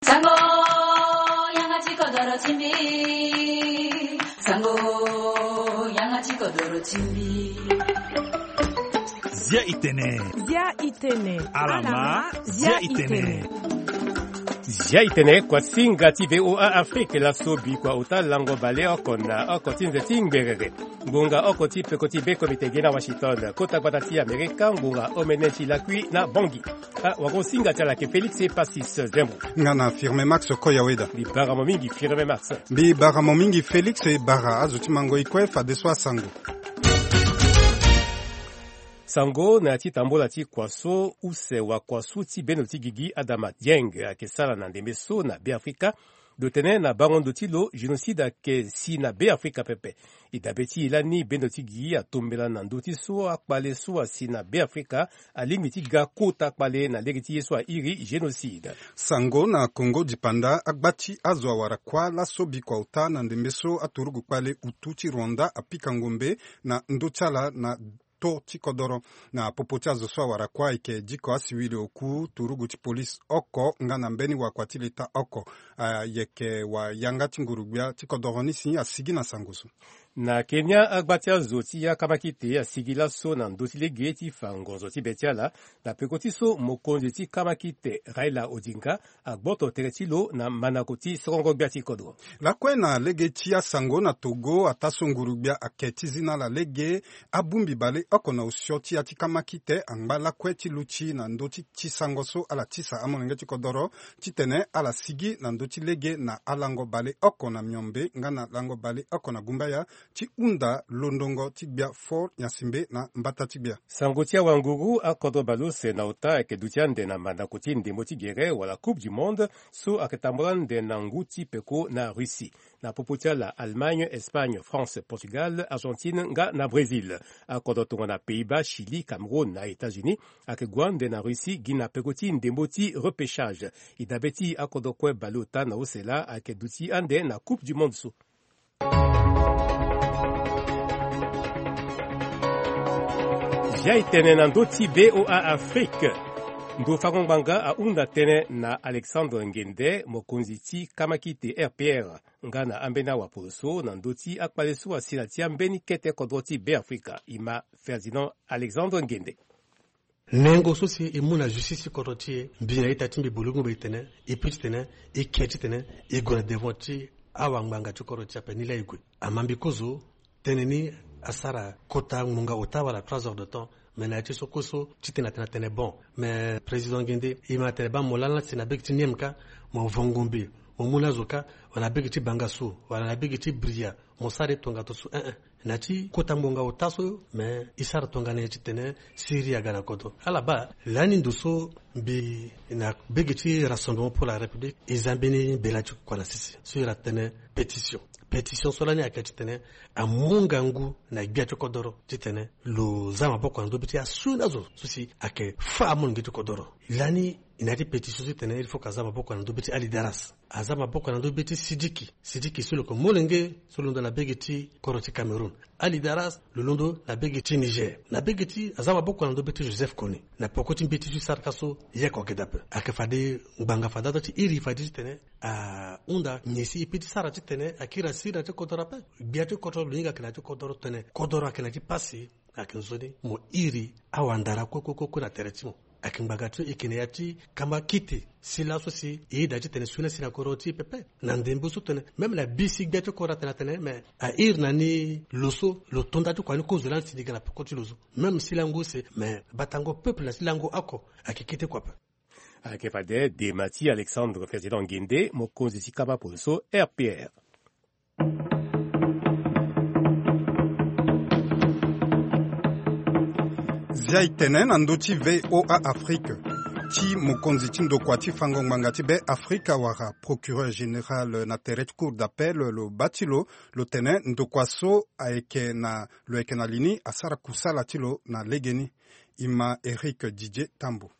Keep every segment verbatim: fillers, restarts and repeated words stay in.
Sango, yanga ti kodoro ti mbi. Sango, yanga ti kodoro ti mbi. Zia itene. Zia itene. Alama, zia itene. Zia itene, kuasinga ti VOA Afrique, laso bikua ota lango baleoko na oko ti nze ti ngberere. Ngonga oko ti peko ti be komite ge na Washington, kota gbata ti Amerika, ngonga omene ti lakui na Bangui. Ah, wagosinga ti ala ayeke Félix Passis Zembo. Nga na Firme Max Koyaweda. Mbi bara mo mingi, Firme Max. Mbi bara mo mingi, Félix, e bara azo ti mango e kue fadeso asango. Sango na ya ti tambola ti kua so use wakua so ti bendo ti gigi Adama Dieng ayeke sara na ndembe so na Beafrika. Lo tene na bango ndo ti lo, génocide ayeke si na Beafrika pepe. E dabe ti e lani bendo ti gigi atombela na ndö ti so akpale so asi na Beafrika alingbi ti ga kota kpale na lege ti ye so airi génocide. Sango na Kongo dipanda, agba ti azo awara kuâ laso bikua ota na ndembe so aturugu kpale utu ti Rwanda apika ngombe na ndö ti ala na to ti kodoro. Na popo ti azo so awara kuâ ayeke diko asiwili oku, turugu ti polise oko nga na mbeni wakua ti leta oko. Ayeke wayanga ti nguru-gbia ti kodoro ni si asigi na sango so. Na Kenya, agba ti azo ti ya kamakite asigi laso na ndö ti lege ti fa ngonzo ti be ti ala, na peko ti so mokonzi ti kamakite Raila Odinga agboto tere ti lo na mandako ti sorongo-gbia ti kodro. Lakue na lege ti asango na Togo, ataa so nguru-gbia ake ti zi na ala lege, abongbi baleoko na osio ti ya ti kamakite angba lakue ti luti na ndö ti ti sango so ala tisa amolenge ti kodoro titene ala sigi na ndö ti lege na alango baleoko na miombe nga na lango baleoko na gumbaya ti hunda londongo ti gbia fort nyasimbe na mbata ti gbia. Sango ti awanguru, akodro baleuse na ota ayeke duti ande na mandako ti ndembo ti gere wala Coupe du Monde so ayeke tambula ande na ngu ti peko na Russie. Na popo ti ala, Allemagne, Espagne, France, Portugal, Argentine nga na Brésil. Akodro tongana Pays-Bas, Chili, Cameroun na États-Unis ayeke gue ande na Russie gi na peko ti ndembo ti repêchage. E dabe ti akodro kue baleota na use laa ayeke duti ande na Coupe du Monde so. Zia e tene na ndö ti VOA Afrique. Ndo fango ngbanga ahunda tënë na Alexandre Ngende, mokonzi ti kamakite R P R, nga na ambeni awapolo so na ndö ti akpale so asi na ti ambeni kete kodro ti Beafrika. E ma Ferdinand Alexandre Ngende. Nengo so si e mu na justice ti kodro ti e, mbi na ita ti mbi bolongo be e tene, e pe titene e ke titene e gue na devant ti awangbanga ti kodro ti e ape ni laa e gue. Ama mbi kozo, tënë ni asara kota ngbonga ota wala trois heures de temps. Me na ya ti so kue so titene atene atene bon, me président Ngende, e ma tene baa mo lani la si na bege ti niem ka, mo vo ngombe, mo mu ni azo ka, wala na bege ti banga so, wala na bege ti bria, mo sara e tongaso, eh eh. Na ti kota ngbonga ota so, me e sara tongana nyen titene siriri aga na kodro? Ala baa lani ndo so mbi na bege ti Rassemblement pour la République, e za mbeni mbela ti kua na sese so iri atene pétition. Pétition so lani ayeke titene amu ngangu na gbia ti kodoro titene lo za maboko na ndö be ti asioni azo so si ayeke fâ amolenge ti kodoro. Lani e na ya ti pétition so titene il faut ka za maboko na ndö be ti Ali Daras. Aza maboko na ndö be ti Sidiki. Sidiki so lo yeke molenge so londo na bege ti kodro ti Cameroun. Ali Daras lo londo na bege ti Niger. Na bege ti, aza maboko na ndö be ti Joseph Kony. Na peko ti mbeti so e sara ka so, ye oko ayeke daa ape. Ayeke fade ngbanga fade ato ti iri fade titene ahunda nyen si e pe ti sara titene akiri asiri na ti kodoro ape. Gbia ti kodoro lo hinga ayeke na ti kodoro titene kodoro ayeke na ti pasi. Ayeke nzoni mo iri awandara kue kue kue kue na tere ti mo. Ayeke ngbanga ti e yeke na ya ti kama kite si laso si e yeda titene sioni asi na kodoro ti e pepe. Na ndembe so tene même na bisi gbia ti kodoro atene atene me a iri na ni lo so lo to nda ti kua ni kozo lani si ni ga na peko ti lo so. Même si lango use me batango peuple na si lango oko ayeke kete kua ape. Ayeke fade dema ti Alexandre Ferdinand Ngende, mokonzi ti kama polo so R P R. Zia e tene na ndö ti VOA Afrique ti mokonzi ti ndokua ti fango ngbanga ti Be Afrika wala procureur général na tere ti cour d'appel lo baa ti lo, lo tene ndokua so ayeke na, lo yeke na li ni asara kusala ti lo na legeni. E ma Eric Didier Tambo.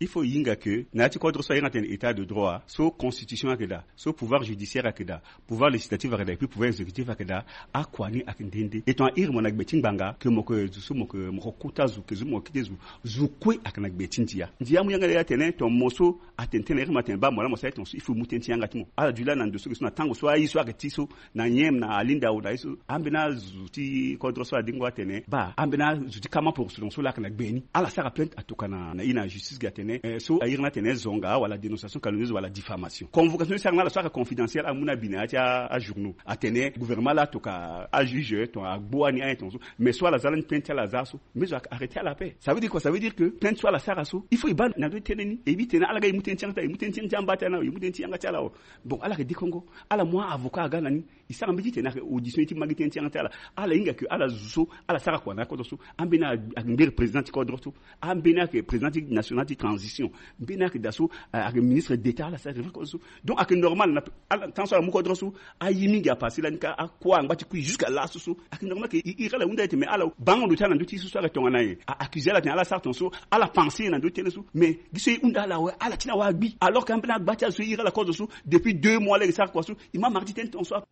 Il faut e hinga ke na ya ti kodro so a iri ni atene état de droit, so constitution ayeke daa, so pouvoir judiciaire ayeke daa, pouvoir législatif ayeke daa, et puis pouvoir exécutif ayeke daa. Akua ni ayeke nde nde. E tongana a iri mo na gbe ti ngbanga ke mo ke zo so mo ke mo ke kota zo ke zo mo ke kete zo. Zo kue ayeke na gbe ti ndia. Ndia amu yanga laa atene tongana mo so atene tënë na iri mo atene baa mo laa mo sara ye tongana so il faut e mu tënë ti yanga ti mo. Ala duti laa na ndo so ge so na tango so aye so ayeke ti so na nyen na alinda awe na ye so. Ambeni azo ti kodro so adingo atene baa ambeni azo ti kama poroso tongana so laa ayeke na gbe ni. Ala sara plainte atoka na na ye na justice ge atene eh, so a iri ni atene zonga wala dénonciation calomnieuse wala diffamation. Convocation ni sara na ala so ayeke confidentiel amu na abi na ya ti ajournaux atene gouvernement laa atoka ajuge tongana agbu ani ayen tongana so. Mais so ala za lani plainte ti ala aza so mais zo arrêter ala ape. Ça veut dire quoi? Ça veut dire que plainte so ala sara so il faut e baa na ndö ti tënë ni e bi tene ala ga e mu tënë ti yanga ti ala e mu tënë ti yanga ti amba ti ala na e mu tënë ti yanga ti ala awe. Bon ala yeke dekongo ala mu avocat aga na ni. E sara mbeti titene ayeke audition ye ti ma gi tënë ti yanga ti ala. Ala hinga ke ala zo so ala sara kua na akodro so. Ambeni ayeke mbiri président ti kodro so. Ambeni ayeke président ti national ti transition. Mbeni ayeke daa so ayeke ministre d'état ala sara révol kodro so. Donc ayeke normal na ala temps so ala mu kodro so. Aye mingi apase lani ka akua angba ti kui jusqu'à laso so ayeke normal ke e iri ala hunda ye tene ala bango ndo ti ala na ndö ti so so ayeke tongana nyen? A accuse ala tene ala sara tongana so. Ala pense ye na ndö ti tënë so mais gi so e hunda ala awe ala ti na awe agbi alors ke ambeni agba ti ala so e iri ala kodro so depuis deux mois lege sara kua so. E ma mara ti tënë tongana so.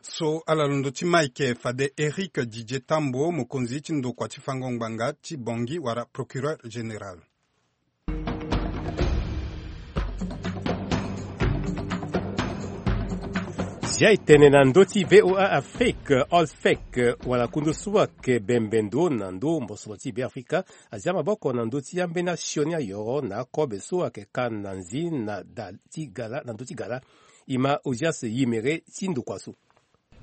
So ala londo ti Mike fade Eric Didier Tambo mokonzi ti ndokua ti fango ngbanga ti Bangui wala procureur général. Zia e tene na ndö ti VOA Afrique, Olfec wala kundu so ayeke bembe ndo na ndö mbosoro ti Beafrika azia maboko na ndö ti ambeni asioni ayoro na akobe so ayeke ka na nzi na da ti gala na ndö ti gala. E ma Ozias Yimere ti ndokua so.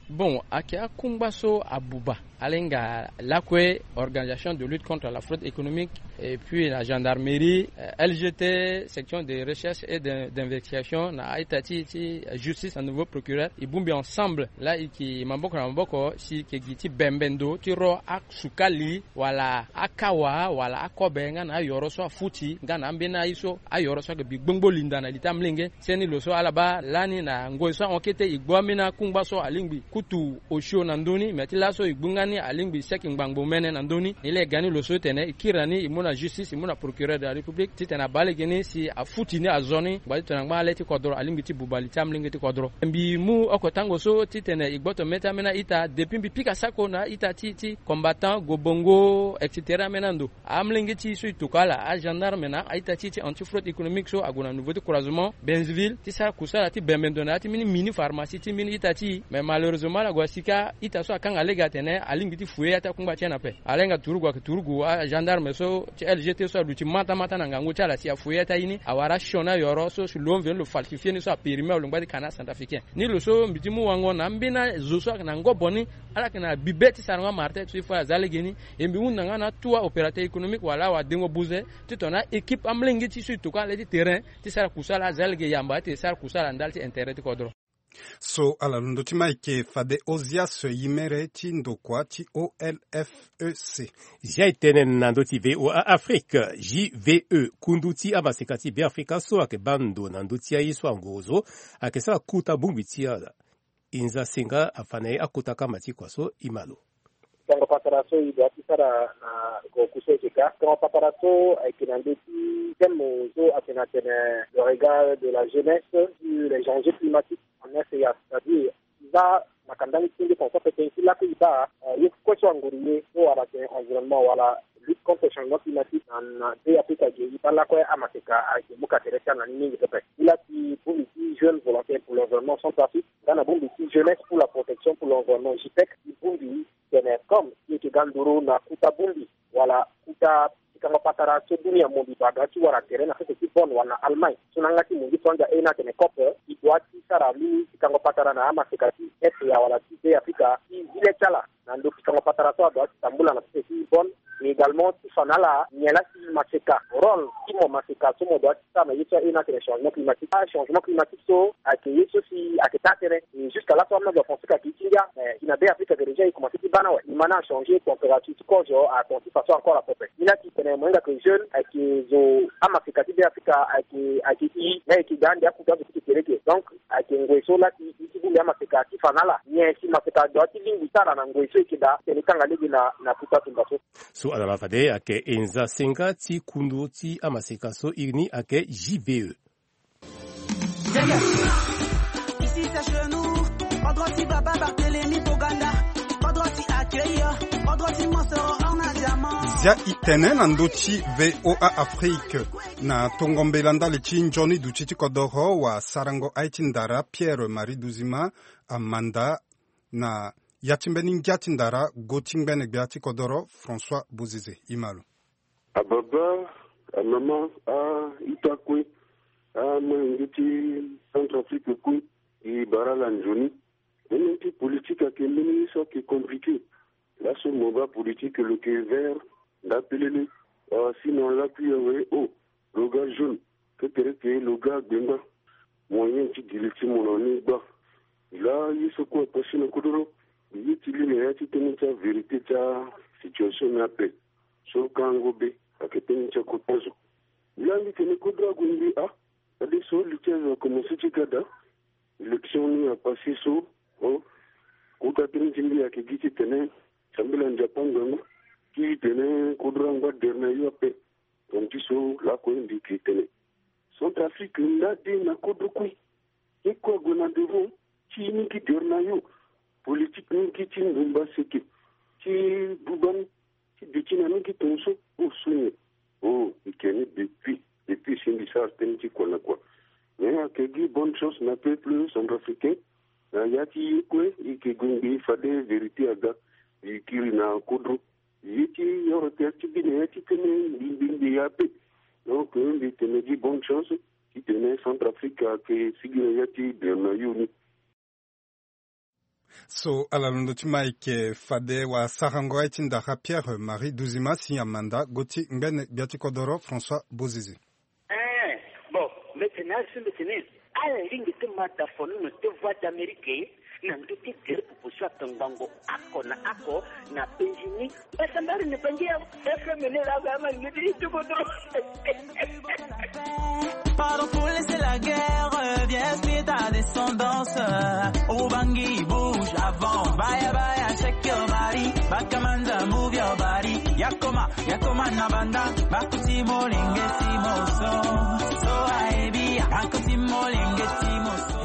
Bon, ayeke akungba so abuba ala hinga lakue organisation de lutte contre la fraude économique et puis la gendarmerie, euh, L G T, section de recherche et de- d'investigation na a-ita ti ti justice na nouveau procureur e bongbi ensemble laa e yeke maboko na maboko si e yeke gi ti bembe ndo ti ro asukali wala akawa wala akobe nga na ayoro so afuti nga na ambeni aye so ayoro so ayeke bi gbongbo linda na li ti amolenge. Seni lo so ala baa lani na ngoi so ahon kete e gbu ambeni akungba so alingbi kutu osio na ndö ni me ti laso e gbu nga ni alingbi seke ngbangbo mene na ndö ni. Ni laa e ga ni lo so titene e kiri na ni e mu na justice e mu na procureur de la république titene abaa lege ni si afuti ni azo ni ngba ti tongana ngba na le ti kodro alingbi ti buba li ti amolenge ti kodro. Mbi mu oko tango so titene e gboto mê ti ambeni a-ita depuis mbi pika sako na a-ita ti ti combattant gobongo et cetera ambeni ando. Amolenge ti e so e tokua ala agendarme na a-ita ti e ti anti fraude économique so ague na niveau ti croisement Benzeville ti sara kusala ti bembe ndo na ya ti mbeni mini pharmacie ti mbeni ita ti e. Mais malheureusement ala gue asi kâ ita so akanga lege atene alingbi ti fouiller ya ti akungba ti en ape. Ala hinga turugu ayeke turugu agendarme so ti L G T so aluti mata mata na ngangu ti ala si afouiller ya ti aye ni awara asioni ayoro so si lo mveni lo falsifie ni so apérime awe lo ngba ti kana centrafricain. Ni lo so mbi ti mu wango na ambeni azo so ayeke na ngobo ni ala yeke na bibe ti sarango amara ti aye so il faut aza lege ni. E mbi hunda nga na tout aopérateur économique wala awadengo buze ti tongana équipe amolenge ti e so e tokua na le ti terrain ti sara kusala aza lege yamba ti e sara kusala na ndali ti intérêt ti kodro. So ala londo ti Mike fade Ozias Yimere ti ndokua ti O L F E C. Zia e tene na ndö ti VOA Afrique, J V E, kundu ti amaseka ti Beafrika so ayeke baa ndo na ndö ti aye so angorozo ayeke sara kuta bongbi ti ala. Inza Senga afa na e akota kama ti kua so e ma lo. Sango patara so e doit ti sara na goku so e yeke ka. Sango patara so ayeke na ndö ti thème so ayeke na tene le regard de la jeunesse sur les enjeux climatiques en S C A, c'est-à-dire e baa makanda ni ti nde tongaso ape tënë ti lakue e baa ye kue so anguru ye so wala tene environnement wala lutte contre changement climatique na na be afrika ge e baa lakue amaseka ayeke mu ka tere ti ala na ni mingi pepe. E laa ti bongbi ti jeune volontaire pour l'environnement centrafrique nga na bongbi ti jeunesse pour la protection pour l'environnement jipec e bongbi tene comme e yeke ga nduru na kuta bongbi wala kuta pikango patara so dunia mo mbi baa ga ti wara tere na sese ti Bonn wala na Allemagne so na yanga ti mo ngi so anga e na atene cop e doit ti sara mbeni pikango patara na amaseka ti S C A wala ti be afrika ti zi le ti ala na ndo pikango patara so adoit ti tambula na sese ti Bonn. Mais également ti fa na ala nyen laa si maseka rôle ti mo maseka so mo doit ti sara na ye so aye na atene changement climatique. Achangement climatique so ayeke ye so si ayeke taa tënë. Et jusqu'à laso amolenge apense ka ti ti ngia. Mais si na Be Afrika ke déjà e commencé ti baa ni awe. Ni ma ni achangé température ti kozo, akonti façon encore apepe. Ni la ti tene mo hinga ke jeune ayeke zo amaseka ti Be Afrika ayeke, ayeke i, ni ayeke daa ande akuta azo ti ke tere ke. Donc ayeke ngoi so la ti, ti bongbi amaseka ti fa na ala nyen si maseka adoit ti lingbi ti ala na ngoi so e yeke daa, tene e kanga lege na, na kuta tumba so. So ala laa fade ayeke e nza senga ti kundu ti amaseka so iri ni ayeke J V E. Ici c'est chez nous, pas droit si Baba Barthélemy Boganda, pas droit si accueillir, pas droit si Monsoro Arnaud Diamant. Zia e tene na ndö ti V O A Afrique na tongo mbela ndali ti nzoni duti ti kodoro wasarango aye ti ndara Pierre Marie Duzima amanda na ya ti mbeni ngia ti ndara go ti ngbene gbia ti kodoro François Bozizé. E ma lo. Ababa, amama, a-ita kue, amolenge ti Centrafrique kue, e bara ala nzoni. Mbeni ti politique ayeke mbeni so ayeke compliqué. Laso mo baa politique lo yeke vert, ndapelele, a, si na lakui awe, o, lo ga jaune, kekereke lo ga gbengba. Moyen ti giri ti mo na ni gba. Laa ye so kue apasi na kodoro, ye ti li na ya ti tënë ti avérité ti asituation ni ape. So kango be ayeke tënë ti akota zo. Laa mbi tene kodro ague mbi, a, fadeso li ti azo akomanse ti ga daa. Élection ni apase so, o, kota tënë ti mbi ayeke gi ti tene sambela Nzapa ngbangba ti tene kodro angba dere na yo ape. Tonga ti so lakue mbi yeke tene Centrafrique nda de na kodro kue. Ye kue ague na devant ti ni gi dere na yo. Politique ni gi ti ndumba seke ti buba ni ti duti na ni gi tongaso. O so nyen? O, e yeke ni depuis, depuis si mbi sara tënë ti kua na kua. Mais ayeke gi bonne chance na peuple centrafricain. Na ya ti ye kue e yeke gue ngbii fade vérité aga. E kiri na kodro. Ye ti oro tere ti bi na ya ti tënë mbi mbi mbi ya ape. Donc mbi tene gi bonne chance ti tene Centrafrique ayeke sigi na ya ti dere na yo ni. So ala londo ti ma e yeke fade wasarango aye ti ndara Pierre Marie Duzima si amanda go ti ngbene gbia ti kodoro François Bozizé. Eh, bon, mbi tene asi mbi tene ala lingbi ti ma dafono na te Voix d'Amérique na ndö ti gere popo so atongbango oko na oko na penzi ni. Mbasambari ni bangi ya F M ni la ba ma ni ti kodro. Pardon pour laisser la guerre, viens, suis ta descendance. Ubangi, bouge avant. Baya, baya, shake your body. Bakamanza, move your body. Yakoma, yakoma na banda. Bakuti molenge timoso. So aebi, bakuti molenge timoso.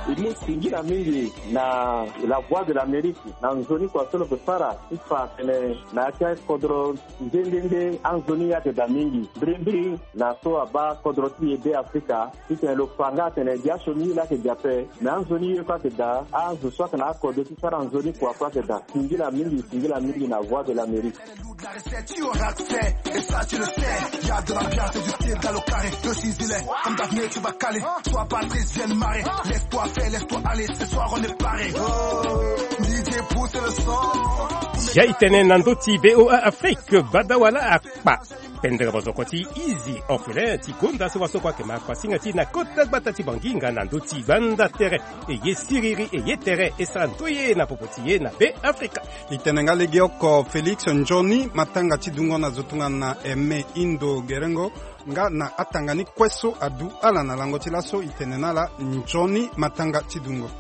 E mu singila mingi na La Voix de l'Amérique na nzoni kua so lo yeke sara ti fa atene na ya ti akodro nde nde nde anzoni ayeke daa mingi. Mbirimbiri na so abaa kodro ti e Be Afrika titene lo fa nga atene dia sioni ye laa ayeke daa ape. Me anzoni ye kue ayeke daa, azo so ayeke na akodro ti sara nzoni kua kue ayeke daa. Singila mingi, singila mingi na Voix de l'Amérique. La recette, tu auras accès, et ça tu le sais. Y a de l'ambiance et du style dans le carré. Le Sisilais, comme Daphné, tu vas caler. Sois pas triste, viens marrer. Laisse-toi faire, laisse-toi aller. Ce soir, on est paré. Oh, D J pousse le son. Zia e tene na ndö ti V O A Afrique, badawala akpa. Pendere bozoko ti Easy Orphelin ti gonda so wasoko ayeke ma kuasinga ti e na kota gbata ti Banginga na ndö ti gbanda tere. E ye siriri, e ye tere, e sara ndoye na popo ti e na Be Afrika. E tene nga legeoko Félix nzoni matanga ti dungo na zo tongana Aimé Indo Gerengo nga na atanga ni kue so adu ala na lango ti laso. E tene na ala nzoni matanga ti dungo.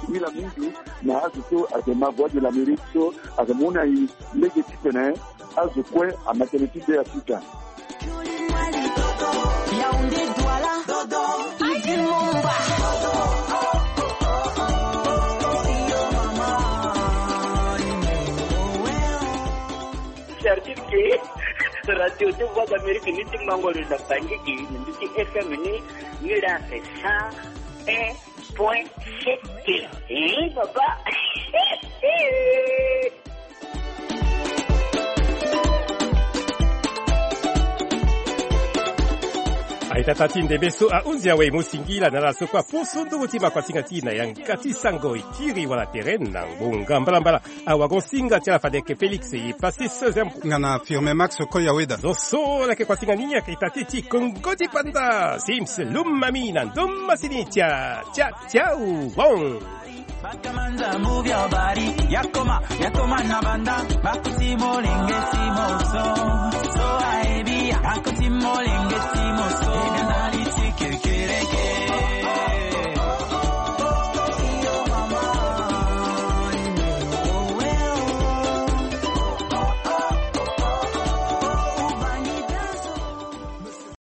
Singila mingi na azo so ayeke ma Voix de l'Amérique so ayeke mu na e lege titene azo kue ama tënë ti Be Afrika. Certif ke radio ti Voix d'Amérique ni ti mango lo na Bangui ke ni ti F M ni, ni la fait cent un point sept. Eh, papa. Aita tâ ti ndembe so ahunzi awe mo singila na ala so kue apusu nduru ti makuasinga ti e na yanga ti sango e kiri wala tere na ngbonga mbalambala. Awagosinga ti ala fade yeke Félix e pase so zembo. Nga na Firme Max Koyaweda. Zo so ala yeke kuasinga ni ayeke ita ti ti Kongo ti Panda. Sims Lumami na ndo masini tia tia tia won. Bakamanza, move your body. Yakoma, yakoma na banda. Bakuti molenge si moso. So aebi ya. Bakuti molenge.